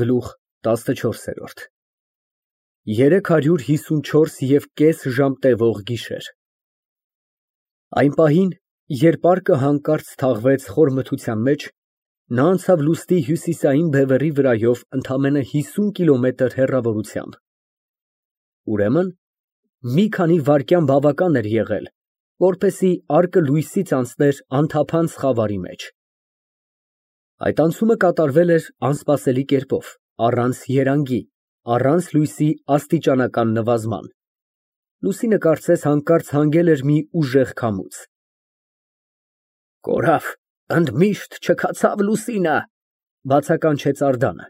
Գլուխ 14 354,5 ժամ տևող գիշեր։ Այն պահին, երբ պարկը հանկարծ թաղվեց խոր մթության մեջ, նա անցավ լուստի հյուսիսային բևեռի վրայով ընդամենը 50 կիլոմետր հեռավորությամբ։ Ուրեմն, մի քանի վայրկյան բավական էր եղել, որպեսզի արկը լույսից անցներ անթափանց խավարի մեջ։ Այդ անցումը կատարվել էր անսպասելի կերպով, առանց երանգի, առանց լույսի աստիճանական նվազման։ Լուսինը կարծես հանկարծ հանգել էր մի ուժեղ քամուց։ «Կորավ, ընդմիշտ չքացավ լուսինը», բացականչեց Անդրեասը։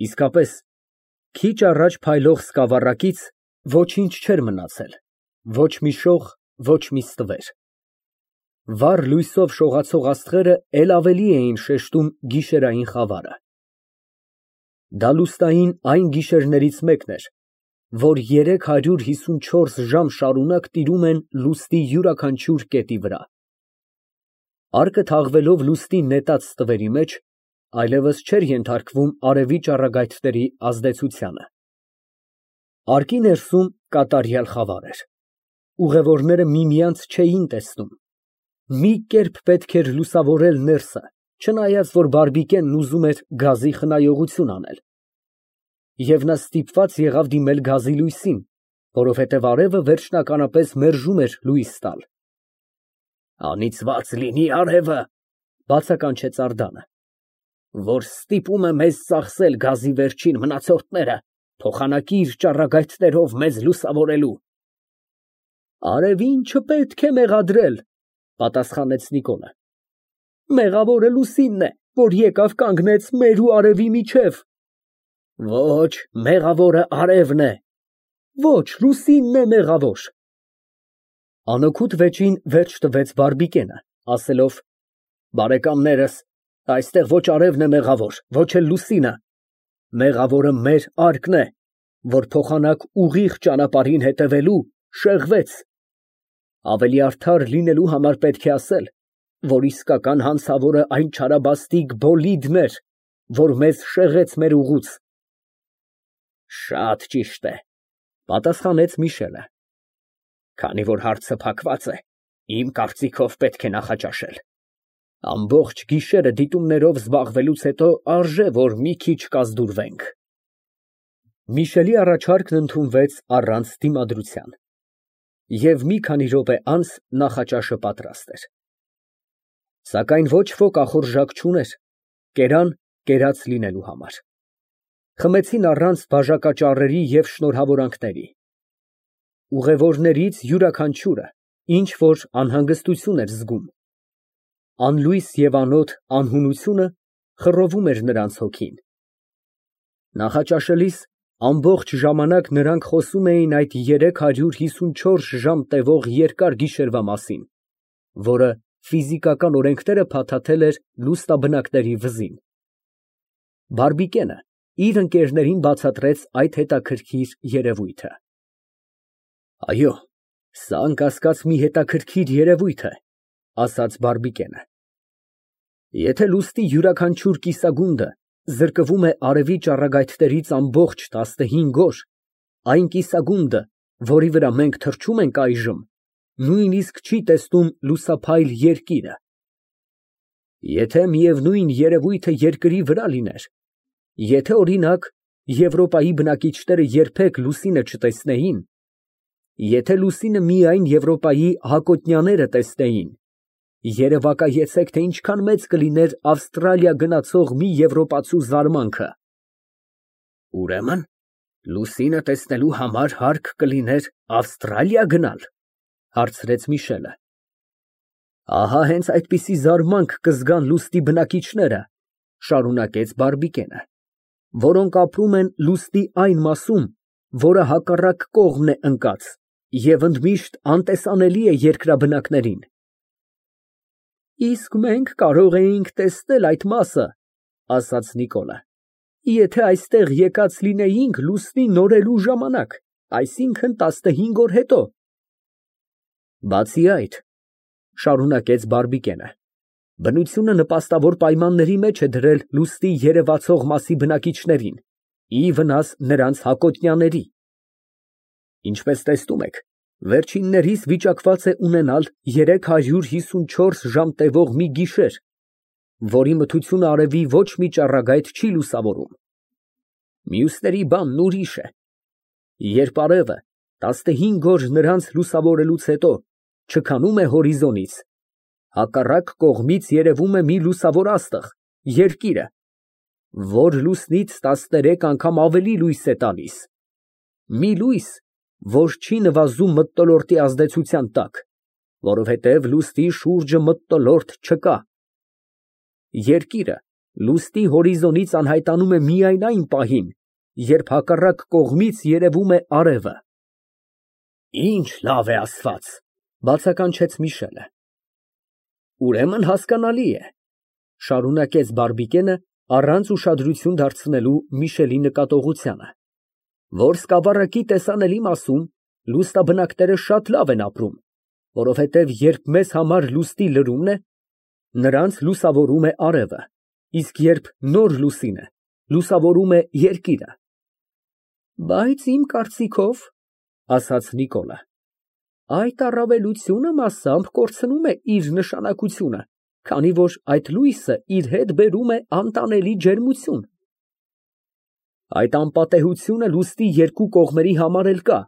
Իսկապես, քիչ առաջ փայլող սկավառակից ոչինչ չէր մնացել, ոչ մի շող, ոչ մի ստվեր։ Վառ լույսով շողացող աստղերը էլ ավելի էին շեշտում գիշերային խավարը։ Դա լուսնային այն գիշերներից մեկն էր, որ 354 ժամ շարունակ տիրում են լուսնի յուրաքանչյուր կետի վրա։ Արկը թաղվելով լուսնի նետած ստվերի մեջ, այլևս չէր ենթարկվում արևի ճառագայթների ազդեցությանը։ Արկի ներսում կատարյալ խավար էր։ Ուղևորները միմյանց չէին տեսնում։ Մի կերպ պետք էր լուսավորել ներսը, չնայած որ բարբիկենն ուզում էր գազի խնայողություն անել։ Եվ նա ստիպված եղավ դիմել գազի լույսին, որովհետև արևը վերջնականապես մերժում էր լույս տալ։ «Անիծված լինի արևը», բացականչեց Անդրեասը, «որ ստիպում է մեզ ծախսել գազի վերջին մնացորդները, փոխանակիր ճառագայթներով մեզ լուսավորելու»։ «Արևին չպետք է մեղադրել», պատասխանեց Նիկոլը։ «Մեղավորը լուսինն է, որ եկավ կանգնեց մեր ու արևի միջև»։ «Ոչ, մեղավորը արևն է»։ «Ոչ, լուսինն է մեղավոր»։ Անօգուտ վեճին վերջ տվեց բարբիկենը, ասելով. «Բարեկամներս, այստեղ ոչ արևն է մեղավոր, ոչ էլ լուսինը։ Մեղավորը մեր արկն է, որ փոխանակ ուղիղ ճանապարհին հետևելու շեղվեց։ Ավելի արդար լինելու համար պետք է ասել, որ իսկական հանցավորը այն չարաբաստիկ Բոլիդն էր, որ մեզ շեղեց մեր ուղուց»։ «Շատ ճիշտ է», պատասխանեց Միշելը։ «Քանի որ հարցը փակված է, իմ կարծիքով պետք է նախաճաշել։ Ամբողջ գիշերը դիտումներով զբաղվելուց հետո արժե որ մի քիչ կազդուրվենք»։ Միշելի առաջարկն ընդունվեց առանց դիմադրության։ Եվ մի քանի րոպե անց նախաճաշը պատրաստ էր։ Սակայն ոչ ոք ախորժակ չուներ, կերան կերած լինելու համար։ Խմեցին առանց բաժակաճառերի և շնորհավորանքների։ Ուղևորներից յուրաքանչյուրը ինչ որ անհանգստություն էր զգում։ Անլույս և անոտ անհունությունը խռովում էր նրանց հոգին։ Նախաճաշելիս ամբողջ ժամանակ նրանք խոսում էին այդ 354 ժամ տևող երկար գիշերվա մասին, որը ֆիզիկական օրենքները փաթաթել էր լուսնաբնակների վզին։ Բարբիկենը իր ընկերներին բացատրեց այդ հետաքրքիր երևույթը։ «Այո, սա անկասկած մի հետաքրքիր երևույթ է», ասաց բարբիկենը։ «Եթե լուսնի յուրաքանչյուր կիսագունդը զրկվում է արևի ճառագայթներից ամբողջ 15 օր, այն կիսագունդը, որի վրա մենք թռչում ենք այժմ, նույնիսկ չի տեսնում լուսափայլ երկիրը։ Եթե միևնույն երևույթը երկրի վրա լիներ, եթե, օրինակ, Եվրոպայի բնակիչները երբեք լուսինը չտեսնեին, եթե լուսինը միայն Եվրոպայի հակոտնյաները տեսնեին, երևակայեցեք, թե ինչքան մեծ կլիներ Ավստրալիա գնացող մի եվրոպացու զարմանքը»։ «Ուրեմն լուսինը տեսնելու համար հարկ կլիներ Ավստրալիա գնալ», հարցրեց Միշելը։ «Ահա հենց այդպիսի զարմանք կզգան լուսնի բնակիչները», շարունակեց բարբիկենը, «որոնք ապրում են լուսնի այն մասում, որը հակառակ կողմն է ընկած և ընդմիշտ անտեսանելի է երկրաբնակներին»։ «Իսկ մենք կարող էինք տեսնել այդ մասը», ասաց Նիկոլը, «եթե այստեղ եկած լինեինք լուսնի նորելու ժամանակ, այսինքն 15 օր հետո»։ «Բացի այդ», շարունակեց բարբիկենը, Բնությունը նպաստավոր պայմանների մեջ է դրել լուսնի երևացող մասի բնակիչներին, ի վնաս նրանց հակոտնյաների։ Ինչպես տեսնում եք, վերջիններիս վիճակված է ունենալ 354 ժամ տևող մի գիշեր, որի մթությունը արևի ոչ մի ճառագայթ չի լուսավորում։ Մյուսների բանն ուրիշ է։ Երբ արևը 15 օր նրանց լուսավորելուց հետո չքանում է հորիզոնից, հակառակ կողմից երևում է մի լուսավոր աստղ, երկիրը, որ լուսնից 13 անգամ ավելի լույս է տալիս։ Մի լույս, որ չի նվազում մթնոլորտի ազդեցության տակ, որովհետև լուսնի շուրջը մթնոլորտ չկա։ Երկիրը լուսնի հորիզոնից անհայտանում է միայն այն պահին, երբ հակառակ կողմից երևում է արևը։ Ինչ լավ է ասված, բացականչեց Միշելը։ Ուրեմն հասկանալի է, շարունակեց Բարբիկենը, առանց ուշադրություն դարձնելու Միշելի նկատողությանը, որ սկավառակի տեսանելի մասում լուսնաբնակները շատ լավ են ապրում, որովհետև երբ մեզ համար լուսնի լրումն է, նրանց լուսավորում է արևը, իսկ երբ նոր լուսին է, լուսավորում է երկիրը։ Բայց իմ կարծիքով, ասաց Նիկոլը, այդ առավելությունը մասամբ կորցնում է իր նշանակությունը, քանի որ այդ լույսը իր հետ բերում է անտանելի ջերմություն։ Այդ անպատեհությունը լուսնի երկու կողմերի համար էլ կա։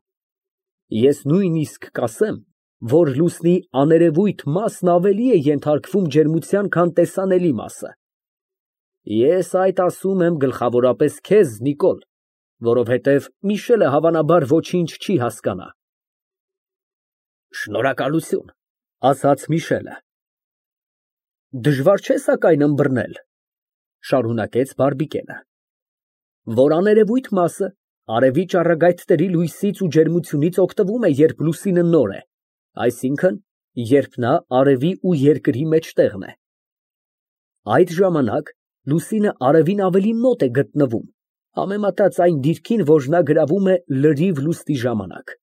Ես նույնիսկ կասեմ, որ լուսնի աներևույթ մասն ավելի է ենթարկվում ջերմության, քան տեսանելի մասը։ Ես այդ ասում եմ գլխավորապես քեզ, Նիկոլ, որովհետև Միշելը հավանաբար ոչինչ չի հասկանա։ Շնորհակալություն, ասաց Միշելը։ Դժվար չէ սակայն ըմբռնել, շարունակեց Բարբիկենը, որ աներևույթ մասը արևի ճառագայթների լույսից ու ջերմությունից օգտվում է, երբ լուսինը նոր է, այսինքն, երբ նա արևի ու երկրի մեջտեղն է։ Այդ ժամանակ լուսինը արևին ավելի մոտ է գտնվում, համեմատած այն դիրքին, որ նա գրավում է լրիվ լուսնի ժամանակ։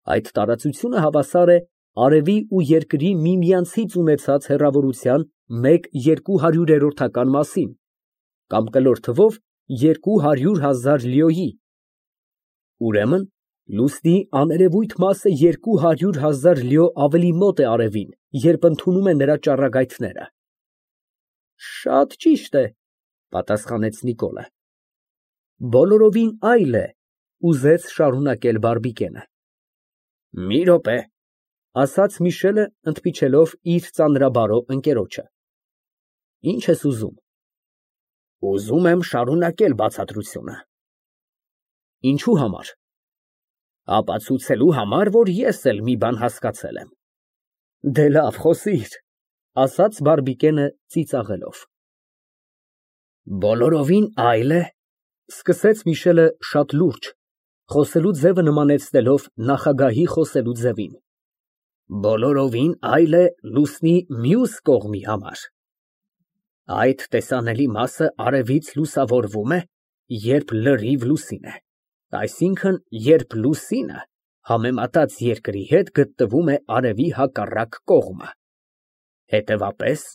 Այդ տարածությունը հավասար է արևի ու երկրի միմյանցից ունեցած հեռավորության 1/200-ական մասին, կամ կլոր թվով 200,000 լիոյի։ Ուրեմն, լուսնի աներևույթ մասը 200,000 լիո ավելի մոտ է արևին, երբ ընդունում է նրա ճառագայթները։ Շատ ճիշտ է, պատասխանեց Նիկոլը։ Բոլորովին այլ է, ուզեց շարունակել Բարբիկենը։ Մի րոպե, ասաց Միշելը, ընդմիջելով իր ծանրաբարո ընկերոջը։ Ինչ ես ուզում։ Ուզում եմ շարունակել բացատրությունը։ Ինչու համար։ Ապացուցելու համար, որ ես էլ մի բան հասկացել եմ։ Դե լավ, խոսիր, ասաց Բարբիկենը ծիծաղելով։ Բոլորովին այլ է, սկսեց Միշելը շատ լուրջ, խոսելու ձևը նմանեցնելով նախագահի խոսելու ձևին։ Բոլորովին այլ է լուսնի մյուս կողմի համար։ Այդ տեսանելի մասը արևից լուսավորվում է, երբ լրիվ լուսին է, այսինքն, երբ լուսինը համեմատած երկրի հետ գտնվում է արևի հակառակ կողմը։ Հետևապես,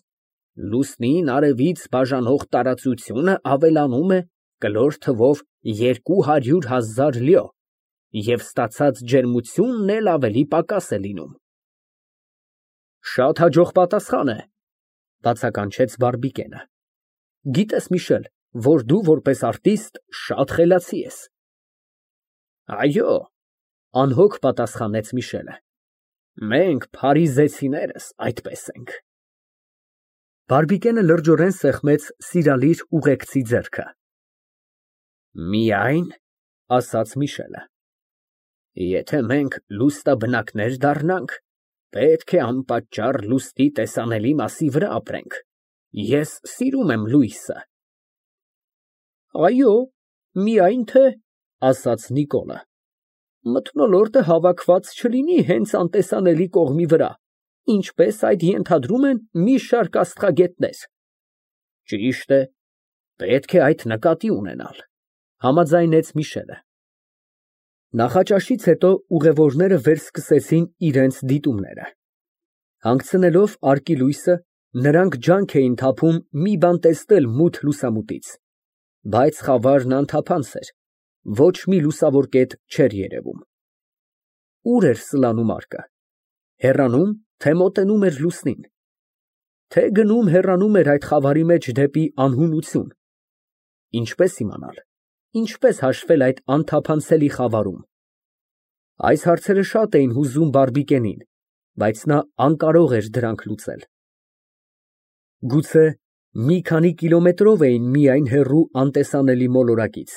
լուսնին արևից բաժանող տարածությունը ավելանում է կլոր թվով 200,000 լիո, և ստացած ջերմությունն էլ ավելի պակաս է լինում։ Շատ հաջող պատասխան է, բացականչեց Բարբիկենը։ Գիտես, Միշել, որ դու որպես արտիստ շատ խելացի ես։ Այո, անհոգ պատասխանեց Միշելը։ Մենք փարիզեցիներս այդպես ենք։ Բարբիկենը լրջորեն սեղմեց սիրալիր ուղեկցի ձեռքը։ Միայն, ասաց Միշելը, եթե մենք լուսնաբնակներ դառնանք, պետք է անպատճառ լուսնի տեսանելի մասի վրա ապրենք։ Ես սիրում եմ լույսը։ Այո, միայն թե, ասաց Նիկոլը, մթնոլորտը հավաքված չլինի հենց անտեսանելի կողմի վրա, ինչպես այդ ենթադրում են մի շարք աստղագետներ։ Ճիշտ է, պետք է այդ նկատի ունենալ, համաձայնեց Միշելը։ Նախաճաշից հետո ուղևորները վերսկսեցին իրենց դիտումները։ Հանգցնելով արկի լույսը, Նրանք ջանք էին թափում մի բան տեսնել մութ լուսամուտից, բայց խավարն անթափանց էր, ոչ մի լուսավոր կետ չէր երևում։ Ուր էր սլանում արկը, հեռանում, թե մոտենում էր լուսնին, թե գնում հեռանում էր այդ խավարի մեջ դեպի անհունություն։ Ինչպես իմանալ, ինչպես հաշվել այդ անթափանցելի խավարում։ Այս հարցերը շատ էին հուզում Բարբիկենին, բայց նա անկարող էր դրանք լուծել։ Գուցե մի քանի կիլոմետրով էին միայն հեռու անտեսանելի մոլորակից,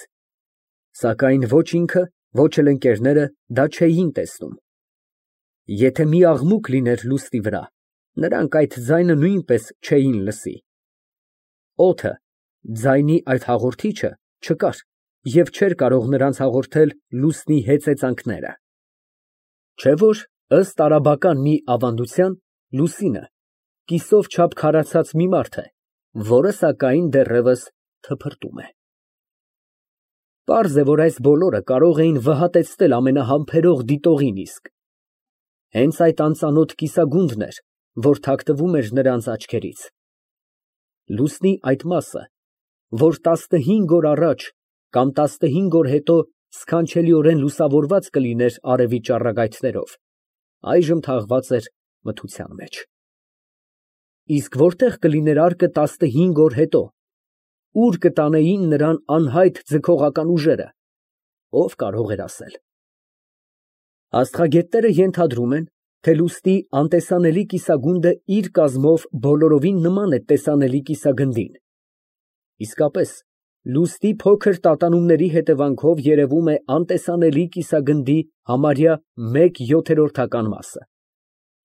սակայն ոչ ինքը, ոչ էլ ընկերները դա չէին տեսնում։ Եթե մի աղմուկ լիներ լուսնի վրա, նրանք այդ ձայնը նույնպես չէին լսի։ Օդը, ձայնի այդ հաղորդիչը չկար և չէր կարող նրանց հաղորդել լուսնի հեծեծանքները։ Չէ՞ որ, ըստ արաբական մի ավանդության, լուսինը կիսով չափ քարացած մի մարդ է, որը սակայն դեռևս թփրտում է։ Պարզ է, որ այս բոլորը կարող էին վհատեցնել ամենահամբերող դիտողին իսկ։ Հենց այդ անծանոթ կիսագունդն էր, որ թաքնվում էր նրանց աչքերից։ Լուսնի այդ մասը, որ 15 օր առաջ կամ 15 օր հետո սքանչելիորեն լուսավորված կլիներ արևի ճառագայթներով, այժմ թաղված էր մթության մեջ։ Իսկ որտեղ կլիներ արկը 15 օր հետո, ուր կտանեին նրան անհայտ ձգողական ուժերը, ով կարող էր ասել։ Աստղագետները ենթադրում են, թե լուսնի անտեսանելի կիսագունդը իր կազմով բոլորովին նման է տեսանելի կիսագնդին։ Իսկապես, լուսնի փոքր տատանումների հետևանքով երևում է անտեսանելի կիսագնդի համարյա 1/7 մասը։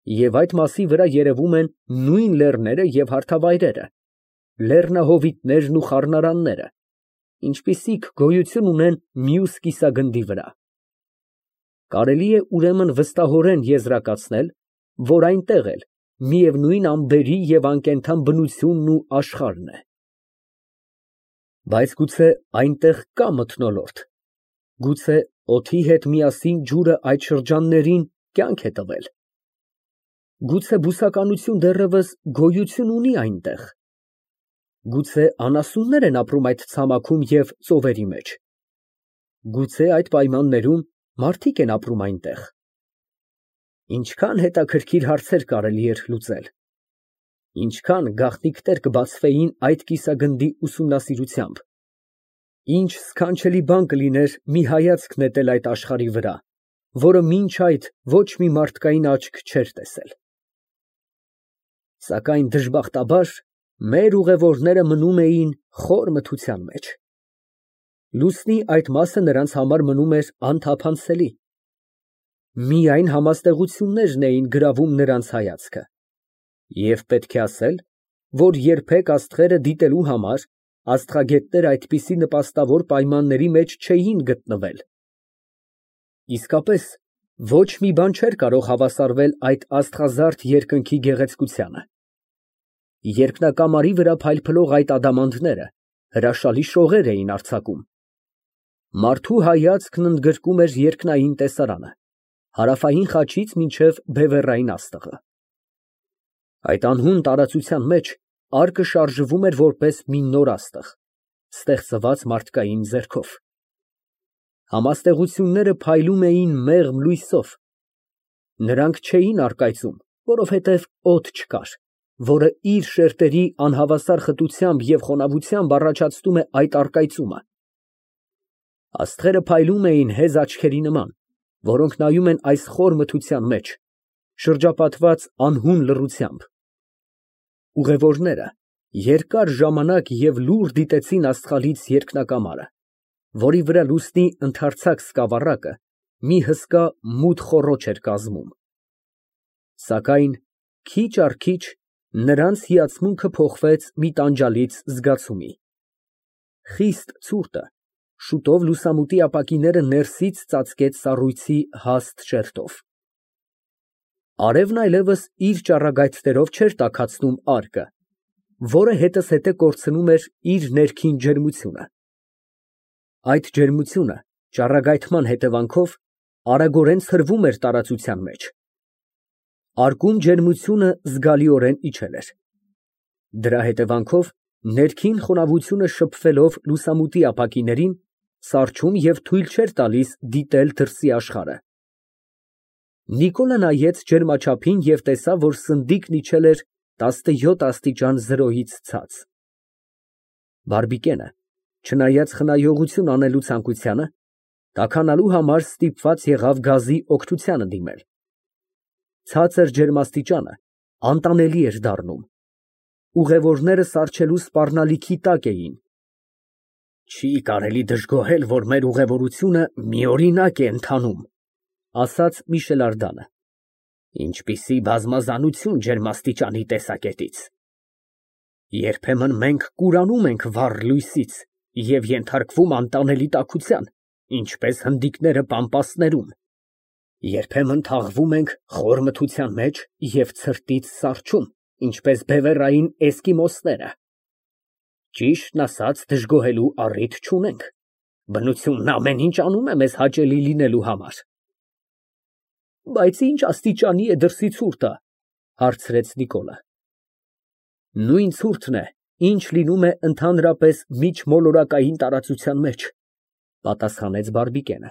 Եվ այդ մասի վրա երևում են նույն լեռները և հարթավայրերը, լեռնահովիտներն ու խառնարանները, ինչպիսիք գոյություն ունեն մյուս կիսագնդի վրա։ Կարելի է ուրեմն վստահորեն եզրակացնել, որ այնտեղ էլ միևնույն ամպերի և անկենդան բնությունն ու աշխարհն է։ Բայց գուցե այնտեղ կա մթնոլորտ, գուցե օդի հետ միասին ջուրը այդ շրջաններին կյանք է տվել, գուցե բուսականություն դեռևս գոյություն ունի այնտեղ, գուցե անասուններ են ապրում այդ ցամաքում և ծովերի մեջ, գուցե այդ պայմաններում մարդիկ են ապրում այնտեղ։ Ինչքան հետաքրքիր հարցեր կարելի էր լուծել, ինչքան գաղտնիքներ կբացվեին այդ կիսագնդի ուսումնասիրությամբ, ինչ սքանչելի բան կլիներ մի հայացք նետել այդ աշխարհի վրա, որը մինչ այդ ոչ մի մարդկային աչք չէր տեսել։ Սակայն դժբախտաբար մեր ուղևորները մնում էին խոր մթության մեջ։ Լուսնի այդ մասը նրանց համար մնում էր անթափանցելի։ Միայն համաստեղություններն էին գրավում նրանց հայացքը։ Եվ պետք է ասել, որ երբեք աստղերը դիտելու համար աստղագետները այդպիսի նպաստավոր պայմանների մեջ չէին գտնվել։ Իսկապես, ոչ մի բան չէր կարող հավասարվել այդ աստղազարդ երկնքի գեղեցկությանը։ Երկնակամարի վրա փայլփլող այդ ադամանդները հրաշալի շողեր էին արձակում։ Մարդու հայացքն ընդգրկում էր երկնային տեսարանը, հարավային խաչից մինչև բևեռային աստղը։ Այդ անհուն տարածության մեջ արկը շարժվում էր որպես մի նոր աստղ, ստեղծված մարդկային ձեռքով։ Համաստեղությունները փայլում էին մեղմ լույսով։ Նրանք չէին առկայծում, որովհետև օդ չկար, որը իր շերտերի անհավասար խտությամբ և խոնավությամբ առաջացնում է այդ առկայծումը։ Աստղերը փայլում էին հեզ աչքերի նման, որոնք նայում են այս խոր մթության մեջ, շրջապատված անհուն լռությամբ։ Ուղևորները երկար ժամանակ և լուռ դիտեցին աստղալից երկնակամարը, որի վրա լուսնի ընդարձակ սկավառակը մի հսկա մութ խոռոչ էր կազմում։ Սակայն քիչ առ քիչ նրանց հիացմունքը փոխվեց մի տանջալից զգացումի։ Խիստ ցուրտը շուտով լուսամուտի ապակիները ներսից ծածկեց սառույցի հաստ շերտով։ Արևն այլևս իր ճառագայթներով չէր տաքացնում արկը, որը հետզհետե կորցնում էր իր ներքին ջերմությունը։ Այդ ջերմությունը ճառագայթման հետևանքով արագորեն ցրվում էր տարածության մեջ։ Արկում ջերմությունը զգալիորեն իջել էր։ Դրա հետևանքով ներքին խոնավությունը շփվելով լուսամուտի ապակիներին, սառչում և թույլ չէր տալիս դիտել դրսի աշխարհը։ Նիկոլը նայեց ջերմաչափին և տեսավ, որ սնդիկն իջել էր 17 աստիճան 0-ից ցած։ Բարբիկենը, չնայած խնայողություն անելու ցանկությանը, տաքանալու համար ստիպված եղավ գազի օգնությանը դիմել։ Ցածր ջերմաստիճանը անտանելի էր դառնում։ Ուղևորները սառչելու սպառնալիքի տակ էին։ Չի կարելի դժգոհել, որ մեր ուղևորությունը միօրինակ է ընթանում, ասաց Միշել Ардանը։ Ինչպիսի բազմազանություն ջերմաստիճանի տեսակետից։ Երբեմն մենք կուրանում ենք վառ լույսից և ենթարկվում անտանելի տաքության, ինչպես հնդիկները պամպասներում։ Երբեմն թաղվում ենք խոր մթության մեջ և ցրտից սառչում, ինչպես բևեռային էսկիմոսները։ Ճիշտն ասած, դժգոհելու առիթ չունենք։ Բնությունն ամեն ինչ անում է մեզ հաճելի լինելու համար։ Բայց ի՞նչ աստիճանի է դրսի ցուրտը, հարցրեց Նիկոլը։ Նույն ցուրտն է, ինչ լինում է ընդհանրապես միջմոլորակային տարածության մեջ, պատասխանեց Բարբիկենը։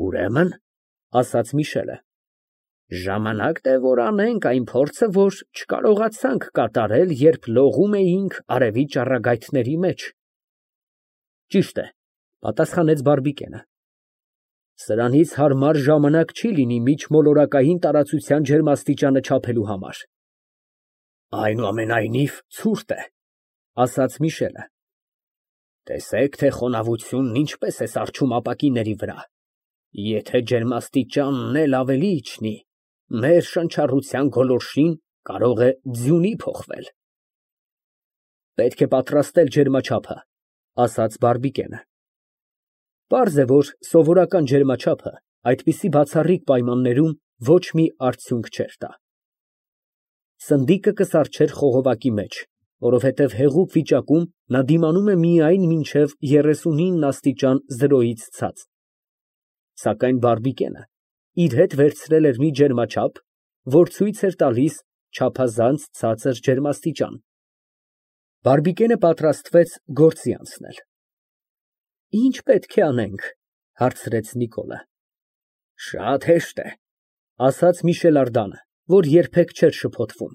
Ուրեմն, ասաց Միշելը, ժամանակն է, որ անենք այն փորձը, որ չկարողացանք կատարել, երբ լողում էինք արևի ճառագայթների մեջ։ Ճիշտ է, պատասխանեց Բարբիկենը։ Սրանից հարմար ժամանակ չի լինի միջմոլորակային տարածության ջերմաստիճանը չափելու համար։ Այնուամենայնիվ ցուրտ է, ասաց Միշելը։ Տեսեք, թե խոնավությունն ինչպես է սառչում ապակիների վրա։ Եթե ջերմաստիճանն էլ ավելի իջնի, մեր շնչառության գոլորշին կարող է ձյունի փոխվել։ Պետք է պատրաստել ջերմաչափը, ասաց Բարբիկենը։ Պարզ է, որ սովորական ջերմաչափը այդպիսի բացառիկ պայմաններում ոչ մի արդյունք չէր տա։ Սնդիկը կսառչեր խողովակի մեջ, որովհետև հեղուկ վիճակում նա դիմանում է միայն մինչև 39 աստիճան 0-ից ցած։ Սակայն Բարբիկենը իր հետ վերցրել էր մի ջերմաչափ, որ ցույց էր տալիս չափազանց ցածր ջերմաստիճան։ Բարբիկենը պատրաստվեց գործի անցնել։ Ինչ պետք է անենք, հարցրեց Նիկոլը։ Շատ հեշտ է, ասաց Միշել Ардանը, որ երբեք չէր շփոթվում։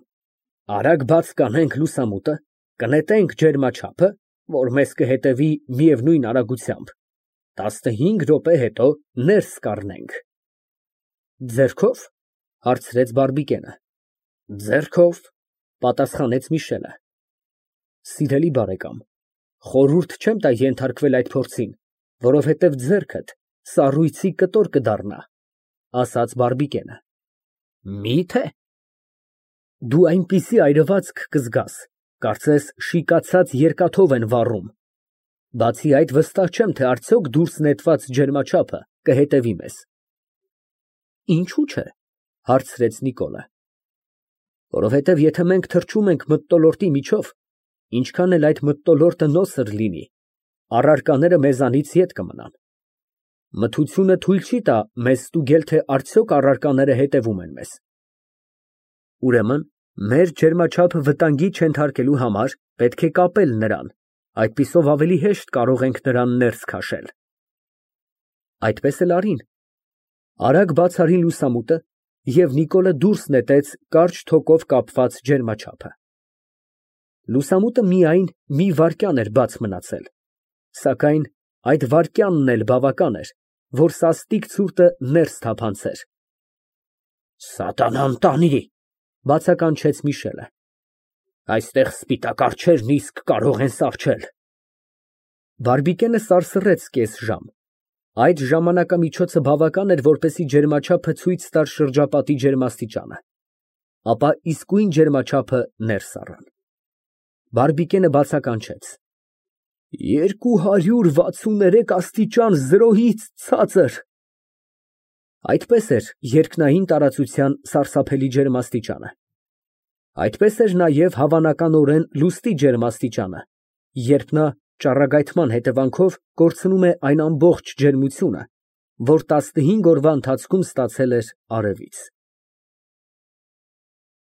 Արագ բաց կանենք լուսամուտը, կնետենք ջերմաչափը, որ մեզ կհետևի միևնույն արագությամբ, 15 րոպե հետո ներս կառնենք։ Ձեռքո՞վ, հարցրեց Բարբիկենը։ Ձեռքով, պատասխանեց Միշելը։ Սիրելի բարեկամ, խորհուրդ չեմ տա ենթարկվել այդ փորձին, որովհետև ձեռքդ սառույցի կտոր կդառնա, ասաց Բարբիկենը։ Մի՞թե։ Դու այնպիսի այրվածք կզգաս, կարծես շիկացած երկաթով են վառում։ Բացի այդ, վստահ չեմ, թե արդյոք դուրս նետված ջերմաչափը կհետևի մեզ։ Ինչու՞ չէ, հարցրեց Նիկոլը։ Որովհետև եթե մենք թռչում ենք մթնոլորտի միջով, ինչքան էլ այդ մթնոլորտը նոսր լինի, առարկաները մեզանից ետ կմնան։ Մթությունը թույլ չի տա մեզ ստուգել, թե արդյոք առարկաները հետևում են մեզ։ Ուրեմն, մեր ջերմաչափը վտանգի չենթարկելու համար պետք է կապել նրան, այդպիսով ավելի հեշտ կարող ենք նրան ներս քաշել։ Այդպես էլ արին։ Արագ բաց արին լուսամուտը, և Նիկոլը դուրս նետեց կարճ թոկով կապված ջերմաչափը։ Լուսամուտը միայն մի վայրկյան էր բաց մնացել, սակայն այդ վայրկյանն էլ բավական էր, որ սաստիկ ցուրտը ներս թափանցեր։ Սատանան տանի, բացականչեց Միշելը։ Այստեղ սպիտակ արջերն իսկ կարող են սառչել։ Բարբիկենը սարսռեց կես ժամ։ Այդ ժամանակամիջոցը բավական էր, որպեսզի ջերմաչափը ցույց տար շրջապատի ջերմաստիճանը։ Ապա իսկույն ջերմաչափը ներս առան։ Բարբիկենը բացականչեց. 263 աստիճան 0-ից ցածր։ Այդպես էր երկնային տարածության սարսափելի ջերմաստիճանը։ Այդպես էր նաև հավանականորեն լուստի ջերմաստիճանը, երբ նա ճառագայթման հետևանքով կորցնում է այն ամբողջ ջերմությունը, որ 15 օրվա ընթացքում ստացել էր արևից։